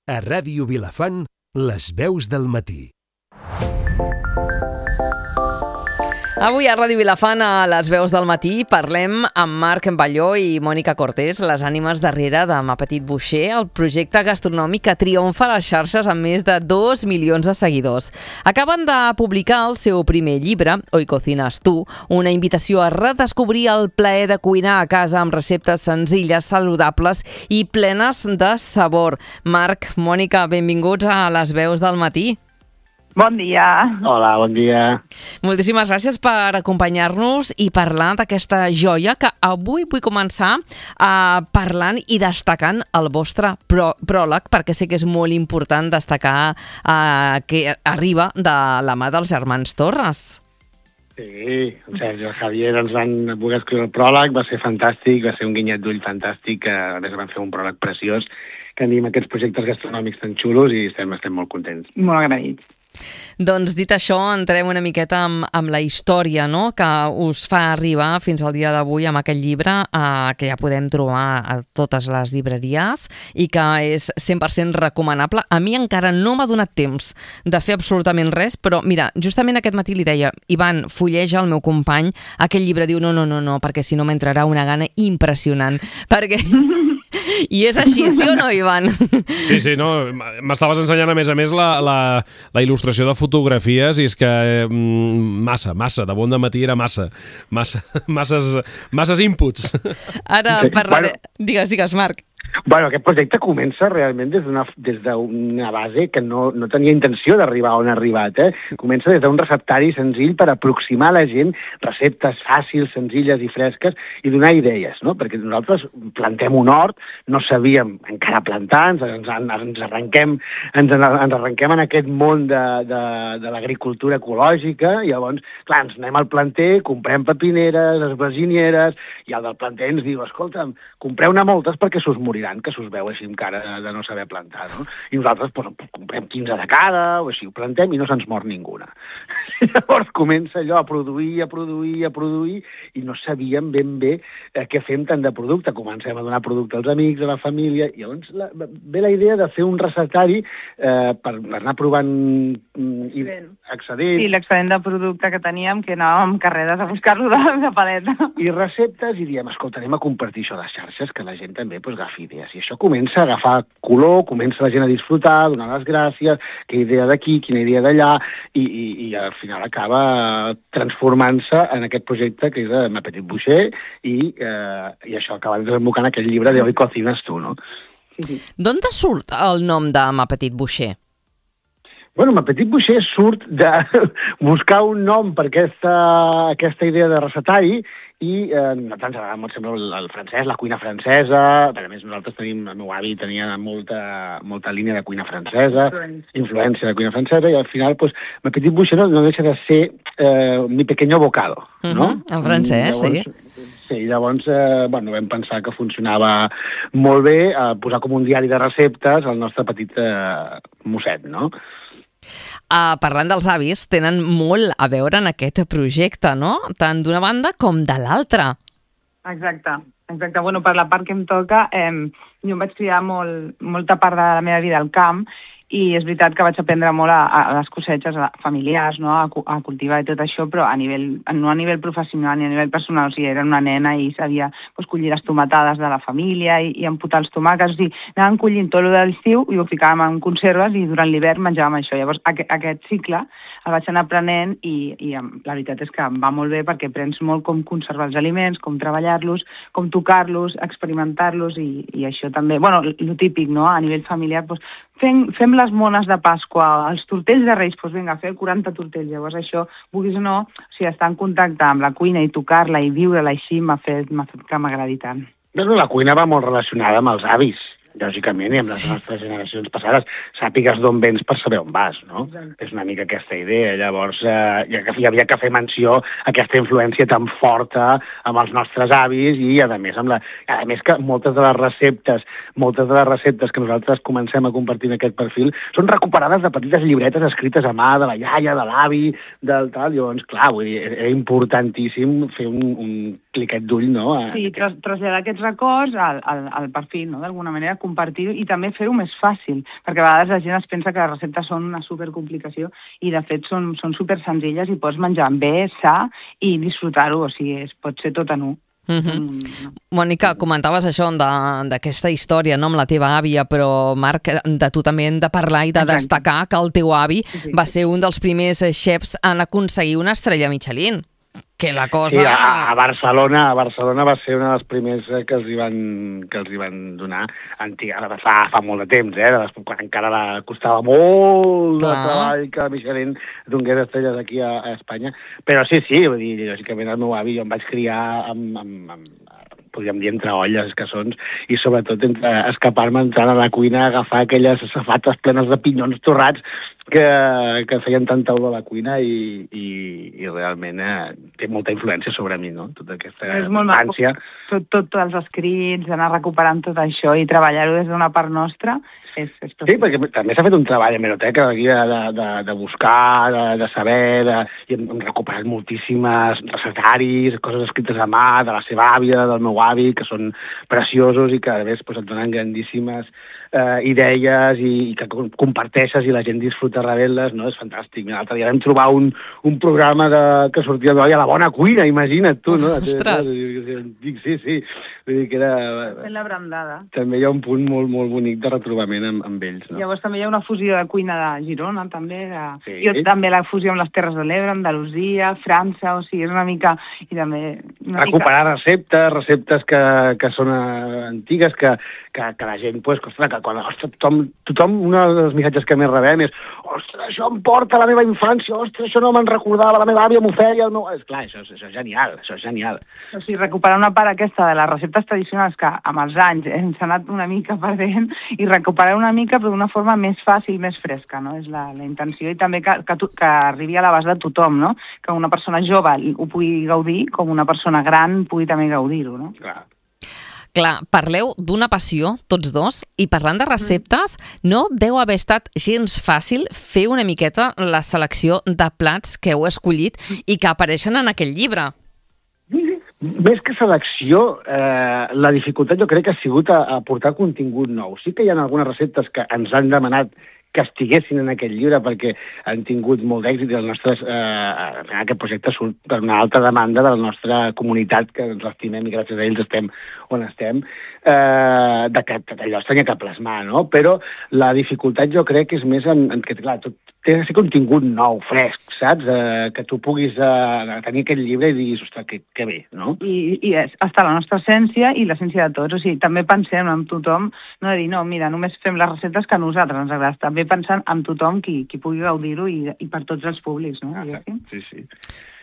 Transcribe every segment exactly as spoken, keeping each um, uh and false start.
A Ràdio Vilafant, les veus del matí. Avui a Ràdio Vilafant, a les veus del matí, parlem amb Marc Balló i Mònica Cortés, les ànimes darrere de Ma Petit Boucher, el projecte gastronòmic que triomfa a les xarxes amb més de dos milions de seguidors. Acaben de publicar el seu primer llibre, Hoy cocinas tú, una invitació a redescobrir el plaer de cuinar a casa amb receptes senzilles, saludables i plenes de sabor. Marc, Mònica, benvinguts a les veus del matí. Bon dia. Hola, bon dia. Moltíssimes gràcies per acompanyar-nos i parlar d'aquesta joia que avui vull començar uh, parlant i destacant el vostre prò pròleg, perquè sé que és molt important destacar uh, que arriba de la mà dels germans Torres. Sí, el Sergi i el Javier ens van voler escriure el pròleg, va ser fantàstic, va ser un guinyet d'ull fantàstic, a més van fer un pròleg preciós, que anim aquests projectes gastronòmics tan xulos i estem, estem molt contents. Molt agraïts. Doncs dit això, entrem una miqueta amb, amb la història, no?, que us fa arribar fins al dia d'avui amb aquest llibre eh, que ja podem trobar a totes les llibreries i que és cent per cent recomanable. A mi encara no m'ha donat temps de fer absolutament res, però mira, justament aquest matí li deia, Ivan, fulleja el meu company aquell llibre, diu no, no, no, no, perquè si no m'entrarà una gana impressionant, perquè... I és així, sí o no, Ivan? Sí, sí, no, m'estaves ensenyant a més a més la, la, la il·lustració de fotografies i és que eh, massa, massa, de bon de matí era massa, massa masses, masses inputs. Ara parlaré... Digues, digues, Marc. Bueno, aquest projecte comença realment des d'una des d'una base que no, no tenia intenció d'arribar on ha arribat. Eh? Comença des d'un receptari senzill per aproximar a la gent receptes fàcils, senzilles i fresques i donar idees, no? Perquè nosaltres plantem un hort, no sabíem encara plantar, ens, ens, ens, arrenquem, ens, ens arrenquem en aquest món de, de, de l'agricultura ecològica i llavors, clar, ens anem al planter, comprem pepineres, esbraginieres, i el del planter ens diu, escolta'm, compreu-ne moltes perquè s'us moriran, que s'us veu així amb cara de no saber plantar, no? I nosaltres doncs, comprem quinze de cada, o així, ho plantem i no se'ns mor ninguna. I llavors comença allò a produir, a produir, a produir, i no sabíem ben bé eh, què fem tant de producte. Comencem a donar producte als amics, a la família, i llavors la, ve la idea de fer un receptari eh, per anar provant mm, i excedent. Sí, l'excedent de producte que teníem, que anàvem amb carreres a buscar-lo de, de paleta. I receptes, i diem, escolta, anem a compartir això a les xarxes, que la gent també pues, agafi idees. I això comença a agafar color, comença la gent a disfrutar, a donar les gràcies, que idea d'aquí, quina idea d'allà, i, i, i al final acaba transformant-se en aquest projecte que és de Ma Petit Boucher, i, eh, i això acaba desembocant aquest llibre de Hoy cocinas tú, no? Sí, sí. D'on te surt el nom de Ma Petit Boucher? Bueno, Ma Petit Boucher surt de buscar un nom per aquesta, aquesta idea de receptari i eh, a nosaltres ens agrada molt sempre el, el francès, la cuina francesa, a més nosaltres tenim, el meu avi tenia molta, molta línia de cuina francesa, influència, influència de cuina francesa, i al final, pues, Ma Petit Boucher no, no deixa de ser eh, mi pequeño bocado, no? Uh-huh, en francès, llavors, sí. Sí, llavors eh, bueno, vam pensar que funcionava molt bé eh, posar com un diari de receptes al nostre petit eh, mosset, no? Uh, parlant dels avis, tenen molt a veure en aquest projecte, no? Tant d'una banda com de l'altra. Exacte, exacte. Bueno, per la part que em toca, eh, jo em vaig criar molt, molta part de la meva vida al camp i és veritat que vaig aprendre molt a, a les cosetges familiars, no? a, a cultivar i tot això, però a nivell, no a nivell professional ni a nivell personal. O sigui, era una nena i sabia pues, collir les tomatades de la família i, i emputar els tomàquets. O sigui, anàvem collint tot el de l'estiu i ho ficàvem en conserves i durant l'hivern menjàvem això. Llavors, aqu aquest cicle el vaig anar aprenent i, i la veritat és que em va molt bé perquè aprens molt com conservar els aliments, com treballar-los, com tocar-los, experimentar-los i, i això també. Bueno, el típic, no? A nivell familiar, doncs, fem, fem les mones de Pasqua, els tortells de Reis, doncs vinga, fer quaranta tortells. Llavors això, vulguis o no, o sigui, estar en contacte amb la cuina i tocar-la i viure-la així m'ha fet, m'ha fet que m'agradi tant. Doncs la cuina va molt relacionada amb els avis, lògicament, i amb les nostres generacions passades. Sàpigues d'on vens per saber on vas, no? És una mica aquesta idea. Llavors, eh, hi havia que fer menció a aquesta influència tan forta amb els nostres avis i, a més, amb la, a més que moltes de les receptes, moltes de les receptes que nosaltres comencem a compartir en aquest perfil són recuperades de petites llibretes escrites a mà de la iaia, de l'avi, del tal. Llavors, clar, vull dir, era importantíssim fer un, un cliquet d'ull, no? Sí, traslladar aquests records al, al, al perfil, no? D'alguna manera, compartir i també fer-ho més fàcil, perquè a vegades la gent es pensa que les receptes són una supercomplicació i de fet són, són super senzilles i pots menjar bé, sa i disfrutar-ho, o sigui, es pot ser tot en un. Uh -huh. mm. Mònica, comentaves això d'aquesta història, no?, amb la teva àvia, però Marc, de tu també hem de parlar i de destacar que el teu avi sí, sí. va ser un dels primers xefs en aconseguir una estrella Michelin. Que la cosa... Sí, a, a Barcelona, a Barcelona va ser una dels primers que els hi van, que els hi van donar antiga, fa, fa molt de temps, eh? Les, quan encara la, costava molt Clar. de treball que Michelin donés estrelles aquí a, a Espanya. Però sí, sí, vull dir, lògicament el meu avi, jo em vaig criar amb, amb, amb podríem dir, entre olles, cassons, i sobretot entre escapar-me entrant a la cuina, agafar aquelles safates plenes de pinyons torrats que, que feien tanta olor a la cuina i, i, i realment eh, té molta influència sobre mi, no? Tota aquesta infància. Tot, tot, tots els escrits, anar recuperant tot això i treballar-ho des d'una part nostra és, és sí, perquè també s'ha fet un treball a Hemeroteca de, de, de, de buscar, de, de saber, de, i hem, hem recuperat moltíssimes recetaris, coses escrites a mà, de la seva àvia, del meu avi, que són preciosos i que a més pues, et donen grandíssimes eh, idees i, i que comparteixes i la gent disfruta rebent-les, no? És fantàstic. L'altre dia vam trobar un, un programa de, que sortia de la bona cuina, imagina't tu, no? Ostres! Sí, sí. Vull dir que era... Fent la brandada. També hi ha un punt molt, molt bonic de retrobament amb, amb ells, no? Llavors també hi ha una fusió de cuina de Girona, també. De... Sí. Jo també la fusió amb les Terres de l'Ebre, Andalusia, França, o sigui, és una mica... I també una recuperar mica... receptes, receptes que, que són uh, antigues, que, que, que la gent, pues, ostres, que quan, ostres, tothom, tothom, un dels missatges que més rebem és ostres, això em porta a la meva infància, ostres, això no me'n recordava, la meva àvia m'ho feia, el meu... Esclar, això, això és genial, això és genial. O sigui, recuperar una part aquesta de les receptes tradicionals que amb els anys hem anat una mica perdent i recuperar una mica però d'una forma més fàcil, més fresca, no? És la, la intenció i també que, que, que arribi a l'abast de tothom, no? Que una persona jove ho pugui gaudir com una persona gran pugui també gaudir-ho, no? Clar. Clar, parleu d'una passió, tots dos, i parlant de receptes, no deu haver estat gens fàcil fer una miqueta la selecció de plats que heu escollit i que apareixen en aquell llibre. Més que selecció, eh, la dificultat jo crec que ha sigut a, a portar contingut nou. Sí que hi ha algunes receptes que ens han demanat que estiguessin en aquest llibre perquè han tingut molt d'èxit i el nostre, eh, aquest projecte surt per una alta demanda de la nostra comunitat, que ens l'estimem i gràcies a ells estem on estem, eh, de que allò es tenia que plasmar, no? Però la dificultat jo crec que és més en, en que, clar, tot té de ser contingut nou, fresc, saps? Eh, que tu puguis eh, tenir aquest llibre i diguis, ostres, que, que bé, no? I, i és, està la nostra essència i l'essència de tots. O sigui, també pensem en tothom, no de dir, no, mira, només fem les receptes que a nosaltres ens agrada. També pensant en tothom qui, qui pugui gaudir-ho i, i per tots els públics, no? Ah, sí, sí.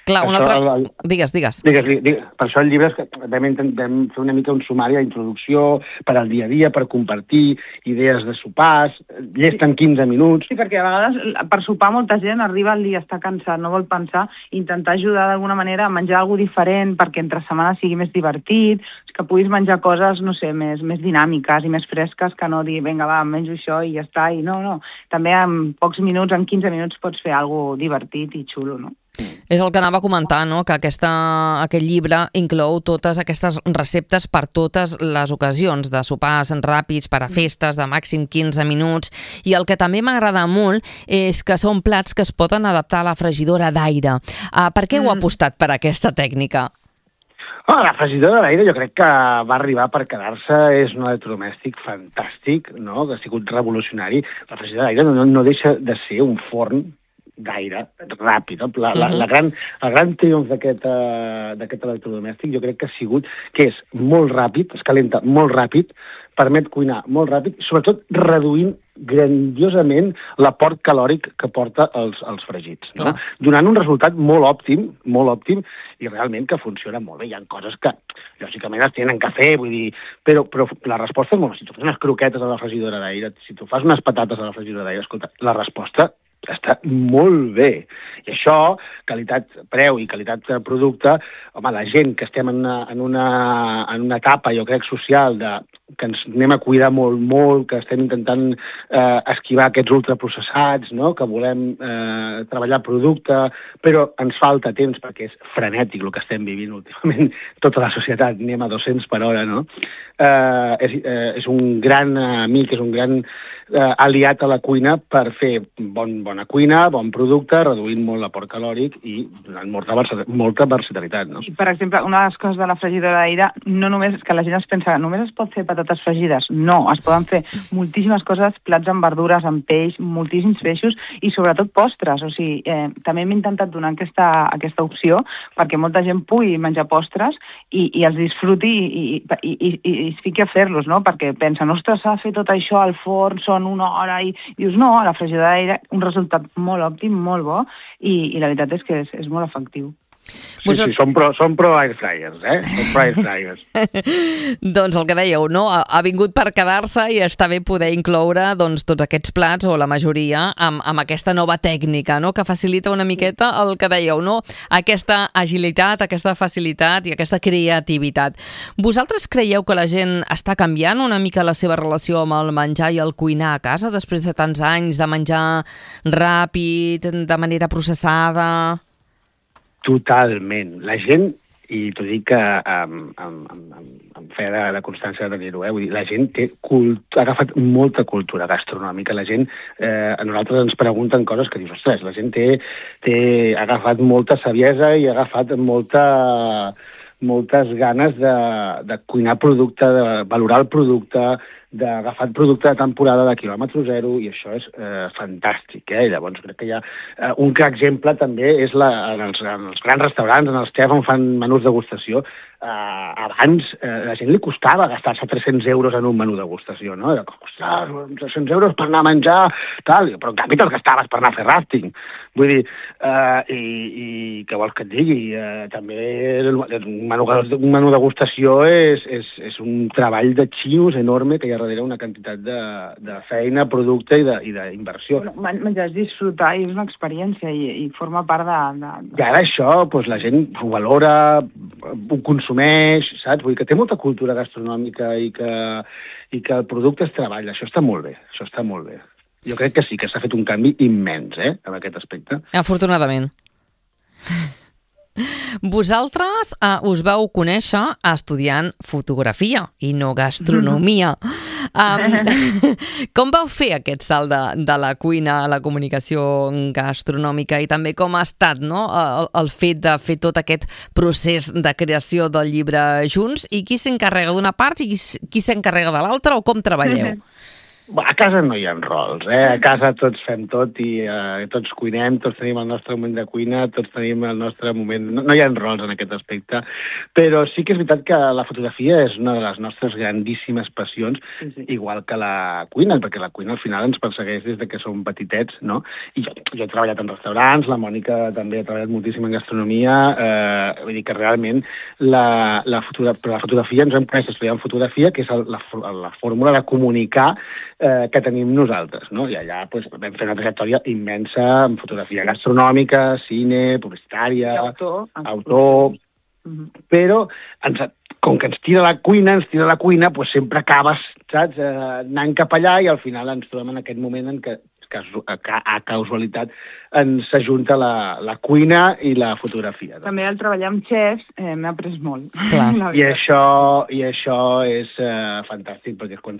Clar, un altre... El, el... Digues, digues. Digues, digues. Per això el llibre és que vam, vam fer una mica un sumari d'introducció per al dia a dia, per compartir idees de sopars, llest en quinze minuts. Sí, perquè a vegades per sopar molta gent arriba al dia, està cansat, no vol pensar, intentar ajudar d'alguna manera a menjar alguna diferent perquè entre setmana sigui més divertit, que puguis menjar coses, no sé, més, més dinàmiques i més fresques que no dir, vinga, va, menjo això i ja està. I no, no. També en pocs minuts, en quinze minuts, pots fer alguna divertit i xulo, no? És el que anava a comentar, no? Que aquesta, aquest llibre inclou totes aquestes receptes per totes les ocasions, de sopars ràpids per a festes de màxim quinze minuts, i el que també m'agrada molt és que són plats que es poden adaptar a la fregidora d'aire. Uh, per què heu apostat per aquesta tècnica? Oh, la fregidora d'aire jo crec que va arribar per quedar-se, és un electrodomèstic fantàstic, no? Que ha sigut revolucionari. La fregidora d'aire no, no deixa de ser un forn d'aire ràpid. La, la, la gran, el gran triomf d'aquest uh, electrodomèstic jo crec que ha sigut que és molt ràpid, es calenta molt ràpid, permet cuinar molt ràpid, sobretot reduint grandiosament l'aport calòric que porta els, els fregits, no? Donant un resultat molt òptim, molt òptim, i realment que funciona molt bé. Hi ha coses que, lògicament, es tenen que fer, vull dir, però, però la resposta és molt... Si tu fas unes croquetes a la fregidora d'aire, si tu fas unes patates a la fregidora d'aire, escolta, la resposta està molt bé. I això, qualitat-preu i qualitat-producte, home, la gent que estem en una, en una, en una etapa, jo crec, social, de, que ens anem a cuidar molt, molt, que estem intentant eh, esquivar aquests ultraprocessats, no? Que volem eh, treballar producte, però ens falta temps perquè és frenètic el que estem vivint últimament. Tota la societat anem a dos-cents per hora, no? Eh, és, eh, és un gran amic, és un gran eh, aliat a la cuina per fer bon, bona cuina, bon producte, reduint molt l'aport calòric i donant molta, molta versatilitat, no? I, per exemple, una de les coses de la fregidora d'aire no només és que la gent es pensa que només es pot fer patates fregides. No, es poden fer moltíssimes coses, plats amb verdures, amb peix, moltíssims peixos i sobretot postres. O sigui, eh, també hem intentat donar aquesta, aquesta opció perquè molta gent pugui menjar postres i, i els disfruti i, i, i, i, i es fiqui a fer-los, no? Perquè pensen, ostres, s'ha de fer tot això al forn, són una hora i dius, no, a la fregidora d'aire un resultat molt òptim, molt bo i, i la veritat és que és, és molt efectiu. Sí, Vos... sí, són pro, són pro air fryers, eh? Són pro air fryers. Doncs el que dèieu, no? Ha, ha vingut per quedar-se i està bé poder incloure doncs, tots aquests plats, o la majoria, amb, amb aquesta nova tècnica, no? Que facilita una miqueta el que dèieu, no? Aquesta agilitat, aquesta facilitat i aquesta creativitat. Vosaltres creieu que la gent està canviant una mica la seva relació amb el menjar i el cuinar a casa després de tants anys de menjar ràpid, de manera processada? Totalment. La gent, i t'ho dic amb, amb, amb, amb fe de, de constància de dir-ho, eh? Vull dir, la gent té cult... ha agafat molta cultura gastronòmica. La gent, eh, a nosaltres ens pregunten coses que dius, ostres, la gent té, té, ha agafat molta saviesa i ha agafat molta, moltes ganes de, de cuinar producte, de valorar el producte, d'agafar el producte de temporada de quilòmetre zero, i això és eh, fantàstic, eh? Llavors crec que hi ha eh, un clar exemple també és la, en, els, en els grans restaurants, en els chefs on fan menús degustació. Uh, abans uh, la gent li costava gastar-se tres-cents euros en un menú degustació, no? Era com, ostres, tres-cents euros per anar a menjar, tal, però en canvi te'ls gastaves per anar a fer rafting. Vull dir, uh, i, i què vols que et digui? Uh, també un menú, un menú degustació és, és, és un treball de xius enorme que hi ha darrere una quantitat de, de feina, producte i d'inversió. Bueno, menjar és disfrutar i és una experiència i, i forma part de... de, de... I ara això, doncs, la gent ho valora, ho consumeix, saps? Vull dir que té molta cultura gastronòmica i que, i que el producte es treballa. Això està molt bé, això està molt bé. Jo crec que sí, que s'ha fet un canvi immens, eh, en aquest aspecte. Afortunadament. Vosaltres eh, us vau conèixer estudiant fotografia i no gastronomia. Um, com vau fer aquest salt de, de la cuina a la comunicació gastronòmica i també com ha estat, no? el, el fet de fer tot aquest procés de creació del llibre junts i qui s'encarrega d'una part i qui, qui s'encarrega de l'altra o com treballeu? A casa no hi ha rols, eh? A casa tots fem tot i eh, tots cuinem, tots tenim el nostre moment de cuina, tots tenim el nostre moment... No, no hi ha rols en aquest aspecte, però sí que és veritat que la fotografia és una de les nostres grandíssimes passions, sí, sí. Igual que la cuina, perquè la cuina al final ens persegueix des de que som petitets, no? I jo, jo he treballat en restaurants, la Mònica també ha treballat moltíssim en gastronomia, eh, vull dir que realment la, la, fotogra la fotografia, ens hem conèixer estudiant fotografia, que és el, la, la fórmula de comunicar Eh, que tenim nosaltres, no? I allà pues, vam fer una trajectòria immensa en fotografia gastronòmica, cine, publicitària, autor, autor uh-huh. Però ens, com que ens tira la cuina, ens tira la cuina, pues, sempre acabes, saps, eh, anant cap allà i al final ens trobem en aquest moment en què a causalitat ens s'ajunta la, la cuina i la fotografia. No? També al treballar amb xefs eh, m'he après molt. Clar. I, això, I això és eh, fantàstic perquè és quan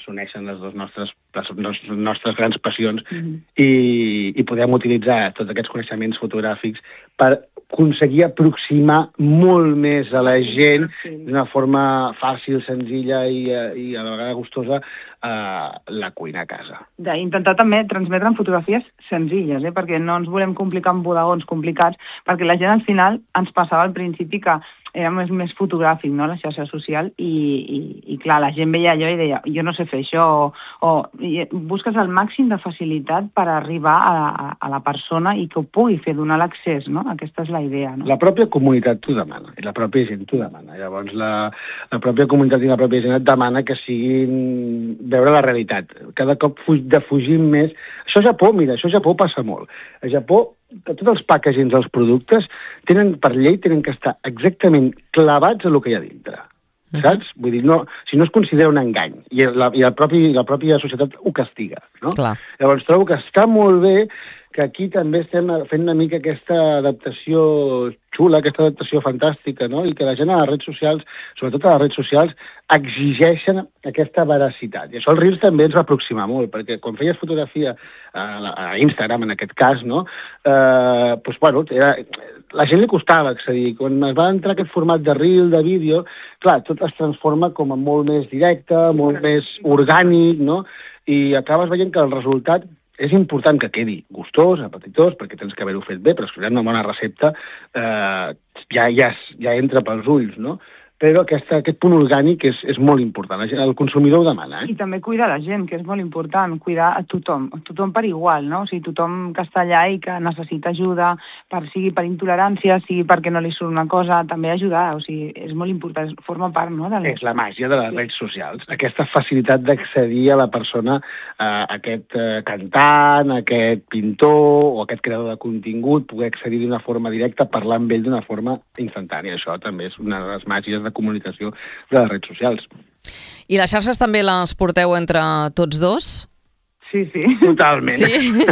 s'uneixen les dues nostres, les nostres grans passions mm-hmm. i, i podem utilitzar tots aquests coneixements fotogràfics per aconseguir aproximar molt més a la gent d'una forma fàcil, senzilla i, i a la vegada gustosa Uh, la cuina a casa. D'intentar també transmetre en fotografies senzilles, eh? Perquè no ens volem complicar amb bodegons complicats, perquè la gent al final ens passava al principi que era més, més fotogràfic, no?, la xarxa social, i, i, i clar, la gent veia allò i deia, jo no sé fer això, o, o i busques el màxim de facilitat per arribar a, a, a la persona i que ho pugui fer, donar l'accés, no? Aquesta és la idea, no? La pròpia comunitat t'ho demana, i la pròpia gent t'ho demana. Llavors, la, la pròpia comunitat i la pròpia gent et demana que siguin veure la realitat. Cada cop defugim més... Això això a Japó, mira, això a Japó passa molt. A Japó, tots els packagings dels productes tenen, per llei, tenen que estar exactament clavats a lo que hi ha dintre. Saps? Vull dir, no, si no es considera un engany, i la, i el propi, la pròpia societat ho castiga, no? Clar. Llavors trobo que està molt bé que aquí també estem fent una mica aquesta adaptació xula, aquesta adaptació fantàstica, no? I que la gent a les redes socials, sobretot a les redes socials, exigeixen aquesta veracitat. I això el Reels també ens va aproximar molt, perquè quan feies fotografia a, a Instagram, en aquest cas, no? Eh, doncs, bueno, era, la gent li costava accedir. Quan es va entrar aquest format de Reel, de vídeo, clar, tot es transforma com a molt més directe, molt més orgànic, no? I acabes veient que el resultat és important que quedi gustós, apetitós, perquè tens que haver-ho fet bé, però escoltant una bona recepta eh, ja, ja, ja entra pels ulls, no? Però aquesta, aquest punt orgànic és, és molt important. El consumidor ho demana. Eh? I també cuidar la gent, que és molt important, cuidar a tothom, a tothom per igual, no? O sigui, tothom que està allà i que necessita ajuda, per, sigui per intolerància, sigui perquè no li surt una cosa, també ajudar, o sigui, és molt important, forma part, no? De és la màgia de les redes socials, aquesta facilitat d'accedir a la persona, a aquest eh, cantant, a aquest pintor o aquest creador de contingut, poder accedir d'una forma directa, parlar amb ell d'una forma instantània. Això també és una de les màgies de comunicació de les redes socials. I les xarxes també les porteu entre tots dos? Sí, sí. Totalment. Sí?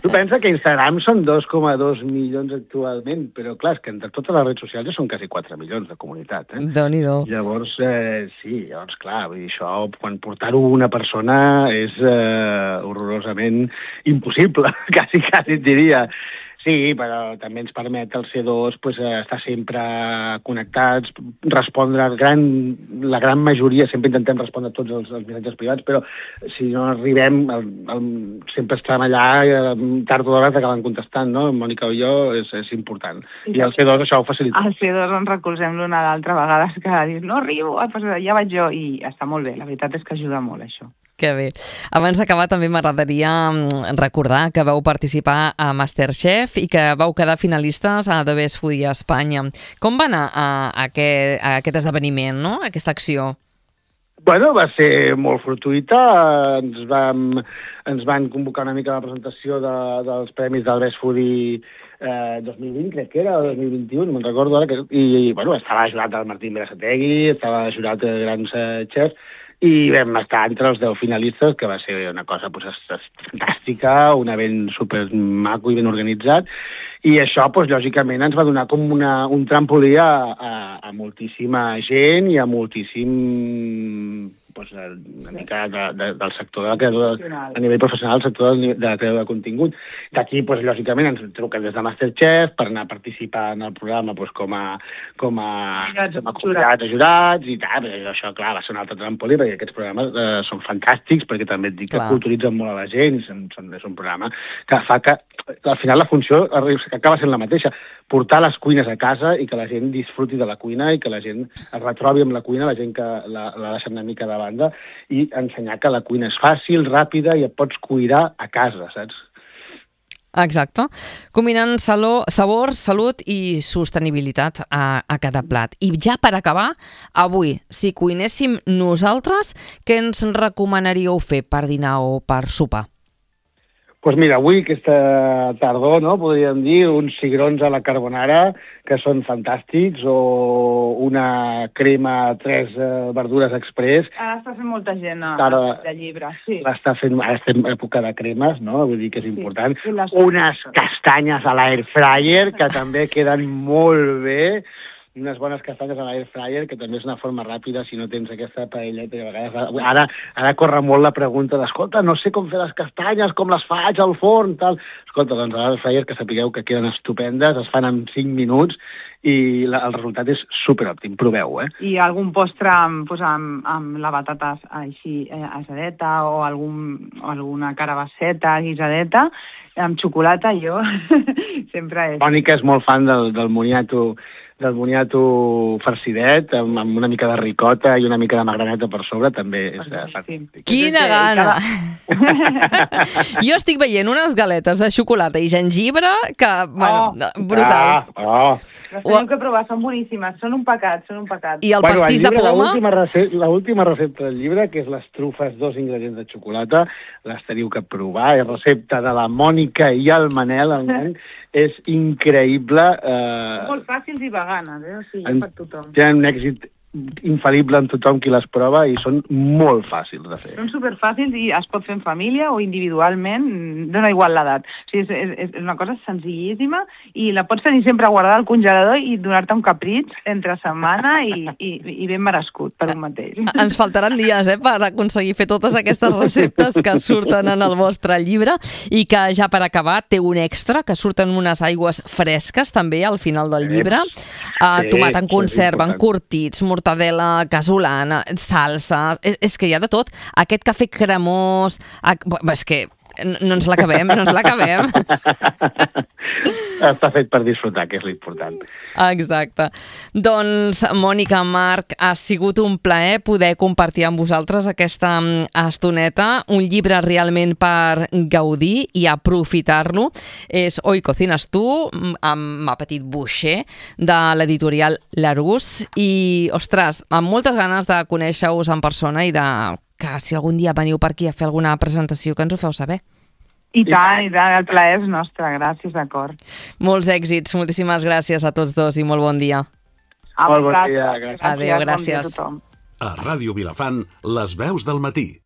Tu pensa que Instagram són dos coma dos milions actualment, però clar, és que entre totes les redes socials ja són quasi quatre milions de comunitat. Eh? Déu-n'hi-do. Llavors, eh, sí, llavors, clar, vull dir, això, quan portar-ho una persona és eh, horrorosament impossible, quasi, quasi et diria. Sí, però també ens permet el C dos pues, estar sempre connectats, respondre al gran, la gran majoria, sempre intentem respondre a tots els, els missatges privats, però si no arribem, el, el, sempre estem allà, tard o d'hora t'acaben contestant, no? Mònica o jo, és, és important. I el C dos això ho facilita. Al C dos ens recolzem l'una a l'altra, a vegades que dius, no arribo, ja vaig jo, i està molt bé, la veritat és que ajuda molt això. Que bé. Abans d'acabar també m'agradaria recordar que vau participar a MasterChef i que vau quedar finalistes a The Best Foodie a Espanya. Com va anar a, a, aquest, a aquest esdeveniment, no? Aquesta acció? Bueno, va ser molt fortuïta. Ens, vam, ens van convocar una mica a la presentació de, dels premis del Best Foodie eh, dos mil vint, crec que era, o dos mil vint-i-u, no me'n recordo ara. Que, i, bueno, estava jurat el Martín Berasategui, estava jurat de grans eh, xefs, i vam estar entre els deu finalistes, que va ser una cosa pues, fantàstica, un event super maco i ben organitzat, i això, pues, lògicament, ens va donar com una, un trampolí a, a, a moltíssima gent i a moltíssim pues, una mica de, de, del sector de la creadora, a nivell professional, el sector de la creadora de contingut. D'aquí, pues, lògicament, ens truquen des de MasterChef per anar a participar en el programa pues, com a com a, com a convidats a jurats i tal. Això, clar, va ser un altre trampolí, perquè aquests programes eh, són fantàstics, perquè també et dic que culturitzen molt a la gent, són, són, és un programa que fa que, al final, la funció acaba sent la mateixa, portar les cuines a casa i que la gent disfruti de la cuina i que la gent es retrobi amb la cuina, la gent que la, la deixa una mica de banda, i ensenyar que la cuina és fàcil, ràpida i et pots cuidar a casa, saps? Exacte. Combinant saló, sabor, salut i sostenibilitat a, a cada plat. I ja per acabar, avui, si cuinéssim nosaltres, què ens recomanaríeu fer per dinar o per sopar? Doncs pues mira, avui, aquesta tardor, no, podríem dir, uns cigrons a la carbonara, que són fantàstics, o una crema, tres eh, verdures express. Ara està fent molta gent a, Ara, de llibre, sí. Està fent, ara estem en època de cremes, no? Vull dir que és sí. important. Les... Unes castanyes a l'air fryer, que també queden molt bé. Unes bones castanyes a l'air fryer, que també és una forma ràpida si no tens aquesta paella. A vegades, ara, ara corre molt la pregunta d'escolta, no sé com fer les castanyes, com les faig al forn, tal. Escolta, doncs a l'air fryer, que sapigueu que queden estupendes, es fan en cinc minuts i la, el resultat és superòptim. Proveu, eh? I algun postre amb, pues, amb, amb la batata així eh, asadeta o, algun, o alguna carabasseta guisadeta, amb xocolata, jo sempre és... Mònica és molt fan del, del moniato del boniato farcidet, amb, amb una mica de ricota i una mica de magraneta per sobre, també és eh, fantàstic. Quina gana! Jo estic veient unes galetes de xocolata i gengibre que, bueno, Oh. brutals. Ah, oh. Les teniu que provar, són boníssimes, són un pecat, són un pecat. I el Bueno, pastís el de llibre, poma? L'última recepta, l'última recepta del llibre, que és les trufes, dos ingredients de xocolata, les teniu que provar. És recepta de la Mònica i el Manel, el nen. És increïble. Eh, Molt fàcils i veganes, eh? O sigui, en- per tothom. Tenen un èxit infal·lible en tothom qui les prova i són molt fàcils de fer. Són superfàcils i es pot fer en família o individualment, dona igual l'edat. O sigui, és, és, és una cosa senzillíssima i la pots tenir sempre guardada al congelador i donar-te un capritx entre setmana i, i, i ben merescut per un mateix. Ens faltaran dies eh, per aconseguir fer totes aquestes receptes que surten en el vostre llibre i que ja per acabar té un extra, que surten unes aigües fresques també al final del llibre. Uh, Sí, tomat en és conserva, important. encurtits, mortadela casolana, salsa... És, és que hi ha de tot. Aquest cafè cremós... Ah, és que no, no ens l'acabem, no ens l'acabem. Està fet per disfrutar, que és l'important. Exacte. Doncs, Mònica, Marc, ha sigut un plaer poder compartir amb vosaltres aquesta estoneta, un llibre realment per gaudir i aprofitar-lo. És Hoy cocinas tu, amb Ma Petit Boucher, de l'editorial Larousse, i, ostres, amb moltes ganes de conèixer-vos en persona i de que si algun dia veniu per aquí a fer alguna presentació que ens ho feu saber. I tant, i tant, el plaer és nostre, gràcies, d'acord. Molts èxits, moltíssimes gràcies a tots dos i molt bon dia. A Molt bon vosaltres. dia, gràcies. Adéu, bon dia a gràcies. tothom. A Ràdio Vilafant, les veus del matí.